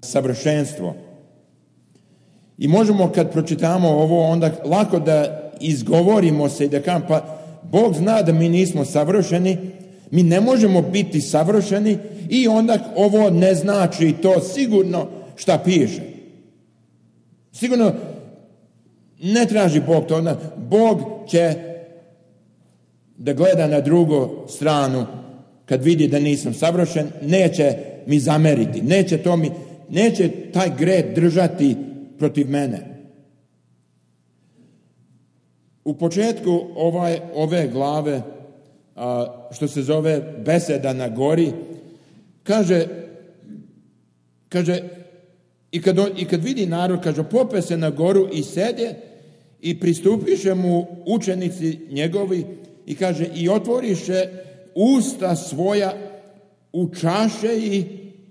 savršenstvo. I možemo kad pročitamo ovo, onda lako da izgovorimo se i da kažemo, pa Bog zna da mi nismo savršeni, mi ne možemo biti savršeni i onda ovo ne znači to sigurno šta piše. Sigurno ne traži Bog to. Onda Bog će da gleda na drugu stranu kad vidi da nisam savršen, neće mi zameriti, neće taj greh držati protiv mene. U početku ove glave, što se zove beseda na gori, kaže i kad vidi narod, kaže, pope se na goru i sede i pristupiše mu učenici njegovi i kaže, i otvoriše usta svoja,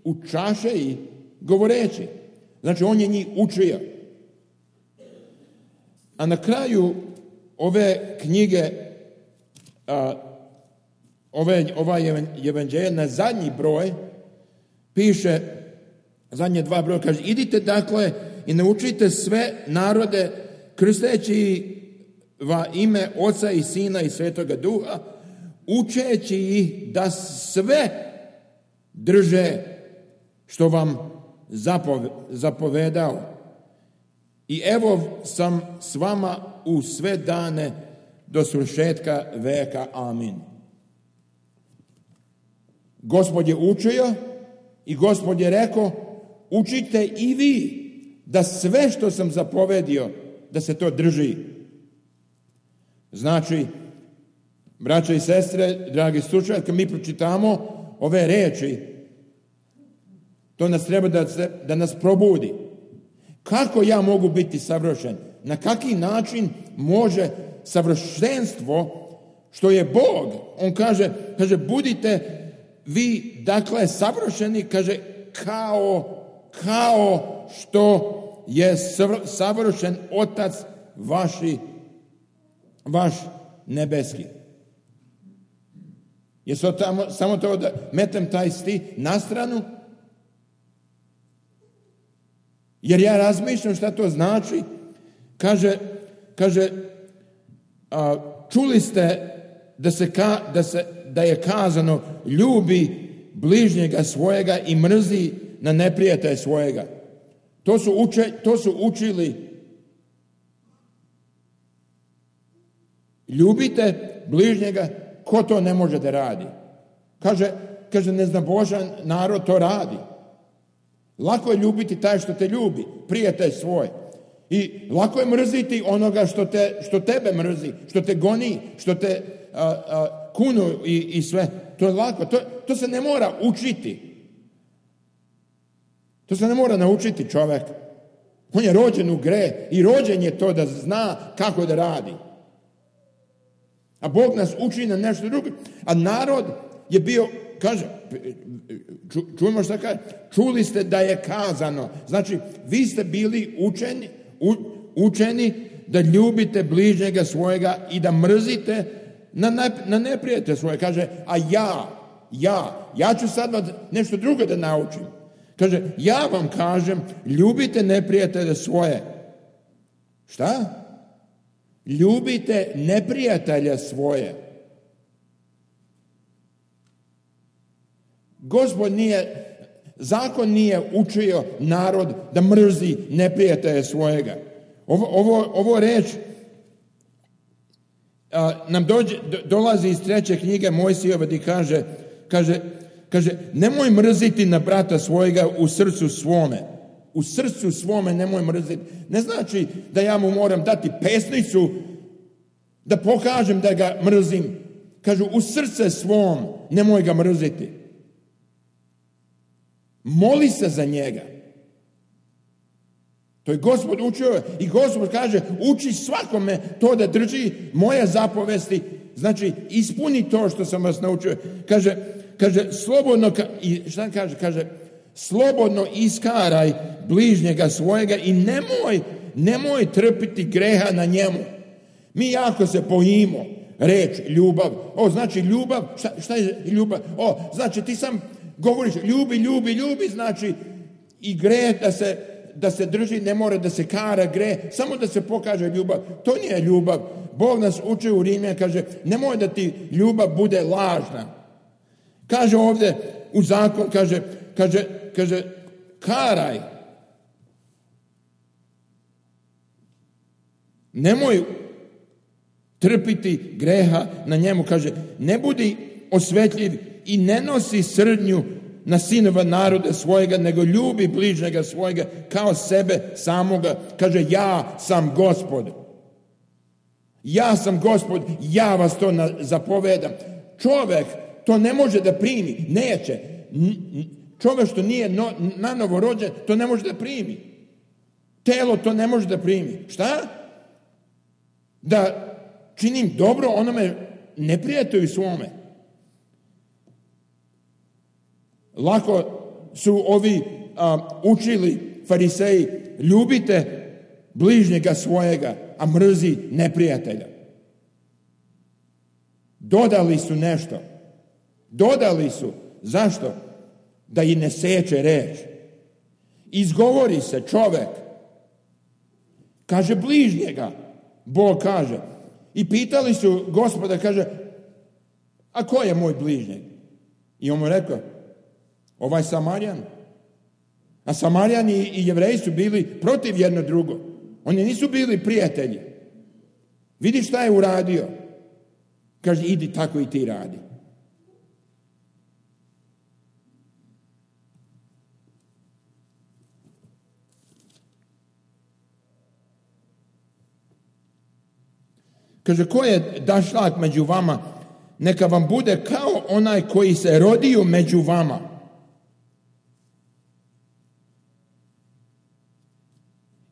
učaše i govoreći. Znači, on je njih učio. A na kraju ove knjige, ova evanđelja, na zadnji broj piše, zadnje 2 broja, kaže, idite dakle i naučite sve narode, krsteći va ime Oca i Sina i Svetoga Duha, učeći ih da sve drže što vam zapovedao. I evo sam s vama u sve dane do svršetka veka. Amin. Gospod je učio i Gospod je rekao, učite i vi da sve što sam zapovedio, da se to drži. Znači, braće i sestre, dragi slušatelji, kad mi pročitamo ove reči, to nas treba da nas probudi. Kako ja mogu biti savršen? Na kaki način može savršenstvo, što je Bog? On kaže, budite vi, dakle, savršeni, kaže, kao što je savršen Otac vaš nebeski. Je samo to da metem taj stih na stranu? Jer ja razmišljam šta to znači. Kaže, čuli ste da je kazano, ljubi bližnjega svojega i mrzi na neprijatelja svojega. To su učili. Ljubite bližnjega, ko to ne može da radi? Kaže, neznabožan narod to radi. Lako je ljubiti taj što te ljubi, prijatelj svoj. I lako je mrziti onoga što tebe mrzi, što te goni, što te kunu i sve. To je lako. To se ne mora učiti. To se ne mora naučiti čovjek. On je rođen u greh i rođen je to da zna kako da radi. A Bog nas uči na nešto drugo. A narod je bio, kaže, čujemo šta kaže, čuli ste da je kazano. Znači, vi ste bili učeni da ljubite bližnjega svojega i da mrzite na neprijatelja svoje. Kaže, a ja ću sad nešto drugo da naučim. Kaže, ja vam kažem, ljubite neprijatelje svoje. Šta? Ljubite neprijatelja svoje. Zakon nije učio narod da mrzi neprijatelja svojega. Ovo reč nam dolazi iz 3. knjige Mojsijeva gdje kaže, nemoj mrziti na brata svojega u srcu svome. U srcu svome nemoj mrziti. Ne znači da ja mu moram dati pesnicu da pokažem da ga mrzim. Kažu, u srce svom nemoj ga mrziti. Moli se za njega. To je Gospod učio i Gospod kaže, uči svakome to da drži moje zapovesti. Znači, ispuni to što sam vas naučio. Kaže, slobodno, šta kaže? Kaže, slobodno iskaraj bližnjega svojega i nemoj trpiti greha na njemu. Mi jako se bojimo reč ljubav. Znači ljubav, šta je ljubav? Znači ti sam govoriš ljubi, znači i greh da se drži, ne mora da se kara greh, samo da se pokaže ljubav. To nije ljubav. Bog nas uči u Rimljanima, kaže, nemoj da ti ljubav bude lažna. Kaže ovdje u zakon, kaže, karaj. Nemoj trpiti greha na njemu, kaže, ne budi osvetljiv i ne nosi srdnju na sinova naroda svojega, nego ljubi bližnjega svojega kao sebe samoga. Kaže, ja sam Gospod. Ja sam Gospod, ja vas to zapovedam. Čovjek to ne može da primi, neće. Čovjek što nije nanovo rođen, to ne može da primi. Telo to ne može da primi. Šta? Da činim dobro onome neprijatelju svome. Lako su ovi učili fariseji, ljubite bližnjega svojega, a mrzi neprijatelja. Dodali su nešto. Dodali su. Zašto? Da i ne seče reč. Izgovori se čovjek. Kaže bližnjega. Bog kaže. I pitali su Gospoda, kaže, a ko je moj bližnjeg? I on mu rekao, ovaj Samarjan. A Samarijani i Jevreji su bili protiv jedno drugo. Oni nisu bili prijatelji. Vidi šta je uradio. Kaže, idi tako i ti radi. Kaže, ko je dašlak među vama, neka vam bude kao onaj koji se rodio među vama.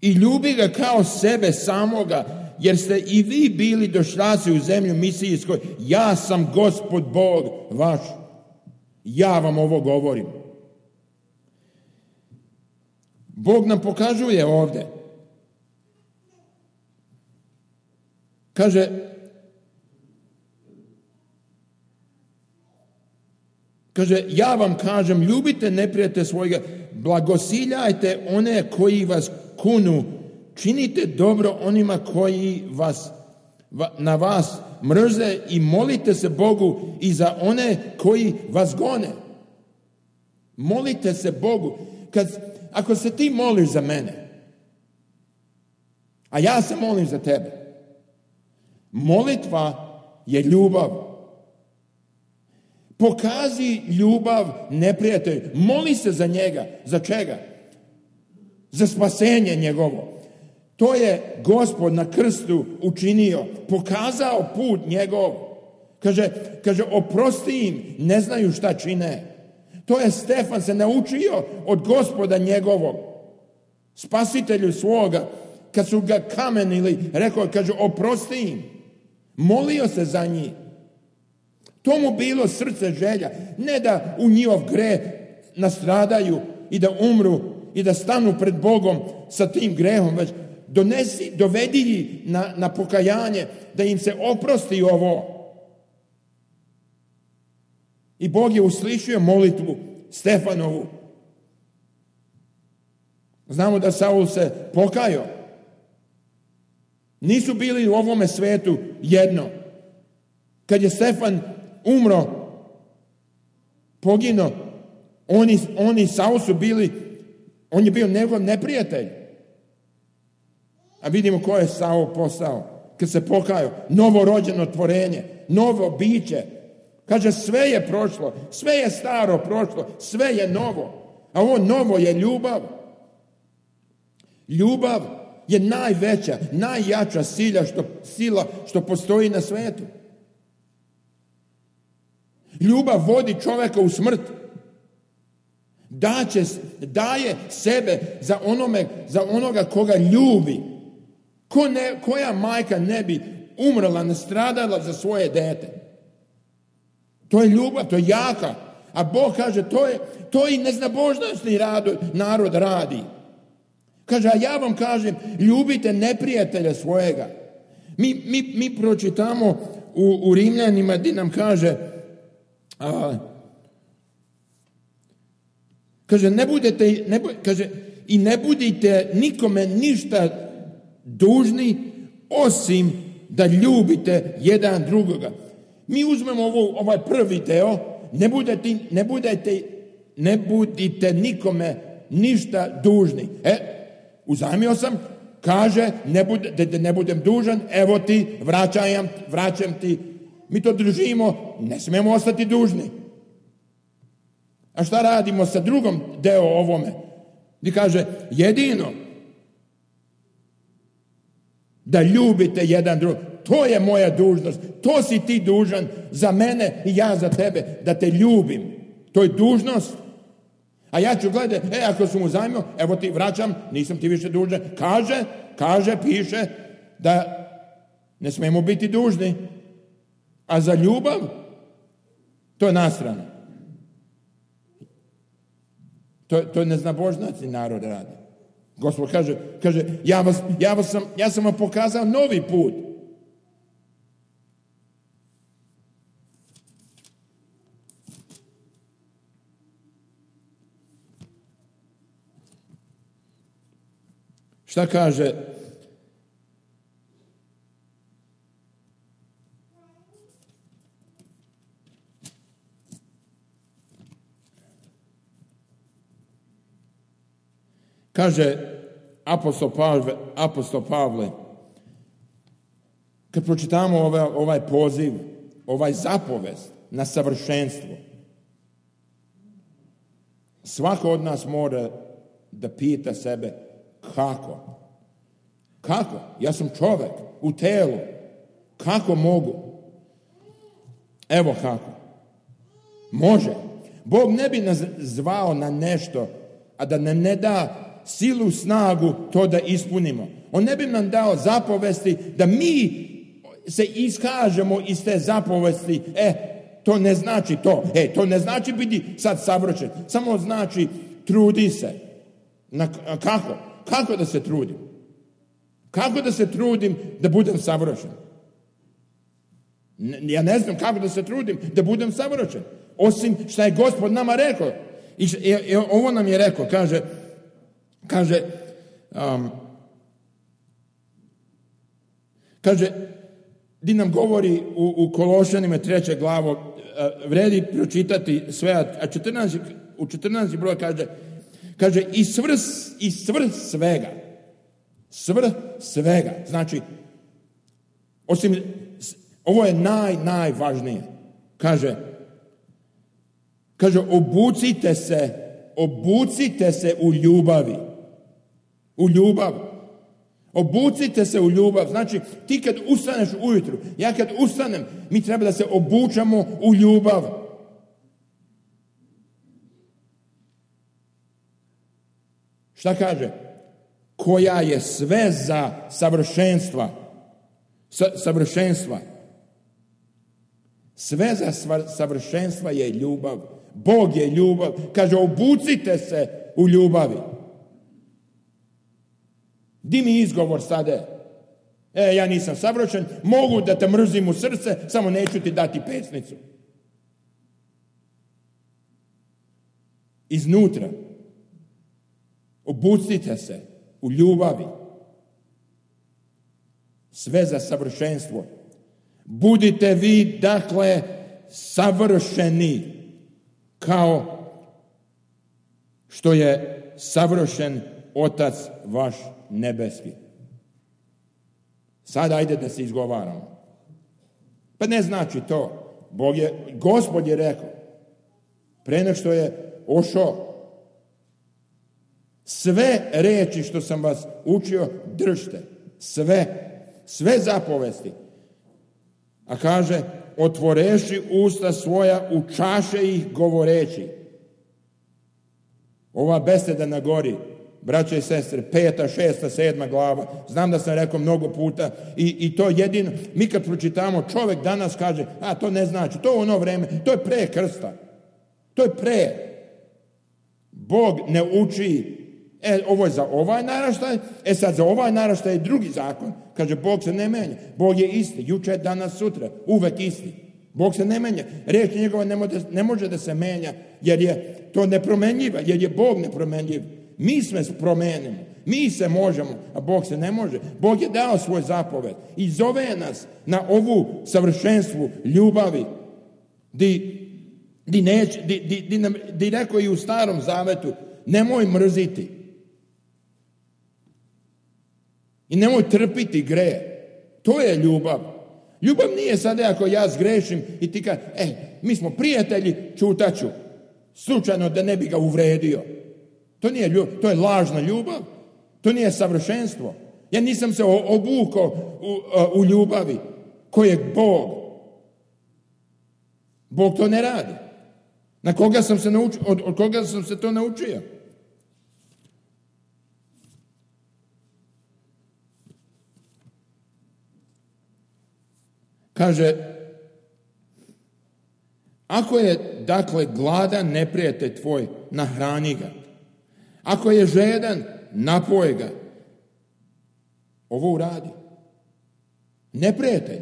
I ljubi ga kao sebe samoga, jer ste i vi bili došlaci u zemlju misijskoj. Ja sam Gospod Bog vaš. Ja vam ovo govorim. Bog nam pokazuje ovdje. Kaže, ja vam kažem, ljubite neprijatelja svojega, blagosiljajte one koji vas kunu, činite dobro onima koji na vas mrze i molite se Bogu i za one koji vas gone. Molite se Bogu. Ako se ti moliš za mene, a ja se molim za tebe, molitva je ljubav. Pokazi ljubav neprijatelju. Moli se za njega. Za čega? Za spasenje njegovo. To je Gospod na krstu učinio. Pokazao put njegov. Kaže, oprosti im, ne znaju šta čine. To je Stefan se naučio od Gospoda njegovog. Spasitelju svoga. Kad su ga kamenili, rekao, kaže, oprosti im. Molio se za njih. To mu bilo srce želja. Ne da u njihov greh nastradaju i da umru i da stanu pred Bogom sa tim grehom, već dovedi ih na pokajanje, da im se oprosti ovo. I Bog je uslišio molitvu Stefanovu. Znamo da Saul se pokajao. Nisu bili u ovome svetu jedno. Kad je Stefan umro, poginuo, oni Saul su bili, on je bio njegov neprijatelj. A vidimo ko je Saul postao kad se pokajao. Novorođeno tvorenje, novo biće. Kaže, sve je prošlo, sve je staro prošlo, sve je novo. A ovo novo je ljubav. Ljubav je najveća, najjača sila što postoji na svijetu. Ljubav vodi čovjeka u smrt. Daje sebe za onoga koga ljubi. Koja majka ne bi umrla, nastradala za svoje dete? To je ljubav, to je jaka. A Bog kaže, to i neznabožnosti narod radi. Kaže, a ja vam kažem, ljubite neprijatelja svojega. Mi pročitamo u Rimljanima gdje nam kaže, Kaže, i ne budite nikome ništa dužni, osim da ljubite jedan drugoga. Mi uzmemo ovaj prvi deo, ne budite nikome ništa dužni. Uzajmio sam, kaže, ne budem dužan, evo ti, vraćam ti. Mi to držimo, ne smijemo ostati dužni. A šta radimo sa drugom deo ovome? Gdje kaže, jedino da ljubite jedan drugog. To je moja dužnost. To si ti dužan za mene i ja za tebe, da te ljubim. To je dužnost. A ja ću gledati, ako sam uzajmio, evo ti vraćam, nisam ti više dužan. Piše da ne smijemo biti dužni. A za ljubav, to je nastrano. To neznabožnaci narod radi. Gospod kaže, ja sam vam pokazao novi put. Šta kaže? Kaže apostol Pavle, kad pročitamo ovaj poziv, ovaj zapovest na savršenstvo, svako od nas mora da pita sebe kako? Kako? Ja sam čovjek u telu. Kako mogu? Evo kako. Može. Bog ne bi nas zvao na nešto, a da nam ne da silu, snagu to da ispunimo. On ne bi nam dao zapovesti da mi se iskažemo iz te zapovesti. To ne znači to. To ne znači biti sad savršen. Samo znači trudi se. Kako? Kako da se trudim? Kako da se trudim da budem savršen? Ja ne znam kako da se trudim da budem savršen. Osim što je Gospod nama rekao. I ovo nam je rekao. Kaže, di nam govori u Kološanima 3. glavu, vredi pročitati sve, a u 14. broj kaže i svrh svega. Svrh svega. Znači, osim, ovo je najvažnije. Kaže, obucite se u ljubavi. U ljubav. Obucite se u ljubav. Znači, ti kad ustaneš ujutru, ja kad ustanem, mi treba da se obučamo u ljubav. Šta kaže? Koja je sve za savršenstva. Savršenstva. Sve za savršenstva je ljubav. Bog je ljubav. Kaže, obucite se u ljubavi. Di mi izgovor sada? Ja nisam savršen, mogu da te mrzim u srce, samo neću ti dati pesnicu. Iznutra. Obucite se u ljubavi. Sve za savršenstvo. Budite vi, dakle, savršeni, kao što je savršen Otac vaš nebeski. Sad ajde da se izgovaramo. Pa ne znači to. Gospod je rekao, pre nego što je ošao, sve reči što sam vas učio, držite. Sve zapovesti. A kaže, otvoreši usta svoja, učaše ih govoreći. Ova beseda na gori, braće i sestre, 5., 6., 7. glava, znam da sam rekao mnogo puta i to jedino, mi kad pročitamo, čovjek danas kaže, to ne znači, to ono vreme, to je pre krsta. To je pre. Bog ne uči, ovo je za ovaj naraštaj, sad za ovaj naraštaj je drugi zakon. Kaže, Bog se ne menja. Bog je isti, juče, danas, sutra, uvek isti. Bog se ne menja. Riječ njegova ne može da se menja, jer je to nepromenljiva, jer je Bog nepromenljiv. Mi sve promenimo, mi se možemo, a Bog se ne može. Bog je dao svoj zapoved i zove nas na ovu savršenstvu ljubavi, di rekao i u Starom Zavetu, nemoj mrziti i nemoj trpiti greh. To je ljubav. Ljubav nije sada ako ja zgrešim i ti kažem, mi smo prijatelji, čutaću, slučajno da ne bi ga uvredio. To nije ljubav, to je lažna ljubav, to nije savršenstvo. Ja nisam se obukao u ljubavi koji je Bog. Bog to ne radi. Na koga sam se naučio, od koga sam se to naučio? Kaže, ako je, dakle, gladan neprijatelj tvoj, nahrani ga. Ako je žedan, napoj ga. Ovo uradi. Neprijatelj.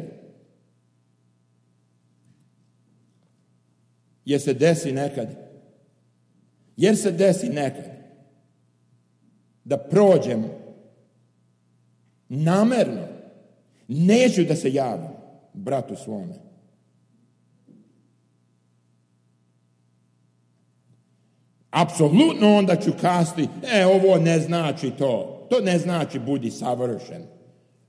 Jer se desi nekad da prođemo namerno, neću da se javim bratu svome. Apsolutno onda ću kasti, ovo ne znači to. To ne znači budi savršen.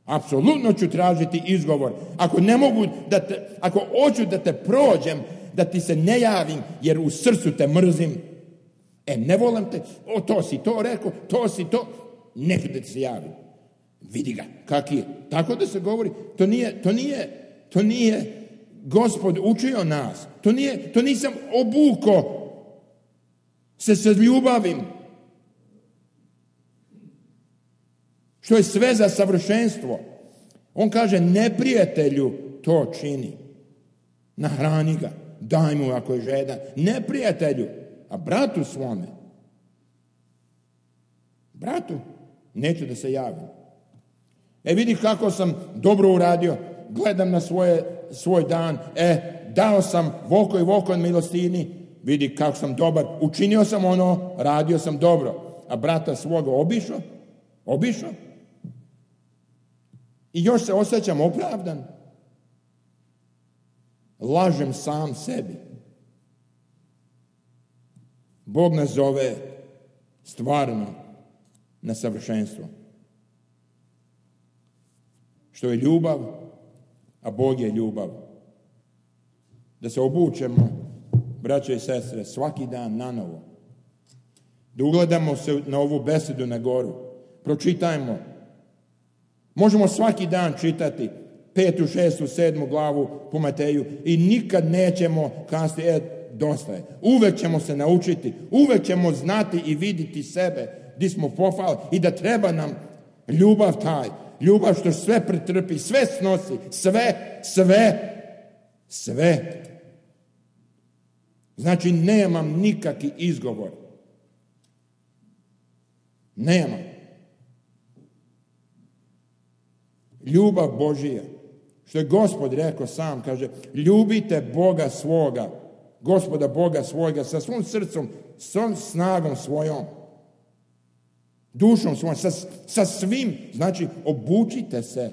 Apsolutno ću tražiti izgovor. Ako hoću da te prođem, da ti se ne javim, jer u srcu te mrzim. Ne volim te, to si to rekao, to si to, neću da ti se javim. Vidi ga, kak je. Tako da se govori, to nije Gospod učio nas. To nisam obuko se ljubavim. Što je sve za savršenstvo. On kaže, neprijatelju to čini. Nahrani ga, daj mu ako je žedan. Neprijatelju, a bratu svome. Bratu, neću da se javim. Vidi kako sam dobro uradio. Gledam na svoj dan. Dao sam voko i voko od milostini. Vidi kako sam dobar. Učinio sam ono, radio sam dobro. A brata svoga obišao. I još se osjećam opravdan. Lažem sam sebi. Bog nas zove stvarno na savršenstvo. Što je ljubav, a Bog je ljubav. Da se obučemo, braće i sestre, svaki dan nanovo. Da ugledamo se na ovu besedu na goru. Pročitajmo. Možemo svaki dan čitati 5., 6., 7. glavu po Mateju i nikad nećemo kazati, dosta je. Uvek ćemo se naučiti, uvek ćemo znati i vidjeti sebe gdje smo pofali i da treba nam ljubav taj. Ljubav što sve pretrpi, sve snosi, sve. Znači, nemam nikakvi izgovor. Nemam. Ljubav Božija, što je Gospod rekao sam, kaže, ljubite Boga svoga, Gospoda Boga svojega, sa svom srcom, svom snagom svojom, dušom svojom, sa svim, znači, obučite se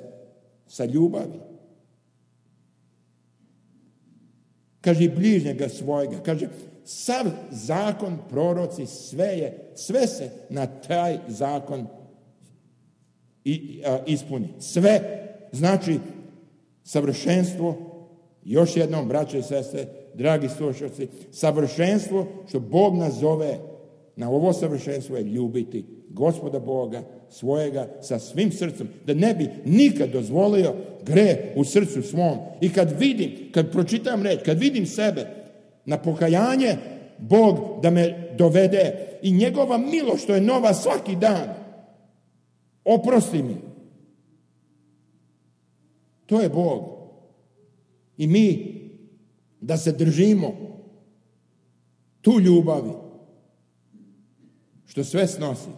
sa ljubavi. Kaže, bližnjega svojega, kaže, sav zakon, proroci, sve se na taj zakon ispuni. Sve, znači, savršenstvo, još jednom, braće i sestre, dragi slušalci, savršenstvo što Bog nas zove na ovo savršenstvo je ljubiti Gospoda Boga svojega sa svim srcem, da ne bi nikad dozvolio greh u srcu svom. I kad pročitam reč, kad vidim sebe na pokajanje, Bog da me dovede i njegova milost što je nova svaki dan, oprosti mi. To je Bog. I mi da se držimo tu ljubavi što sve snosi.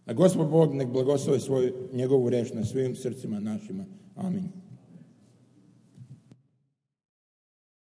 A Gospod Bog nek blagoslovi njegovu reč na svim srcima našima. Amin.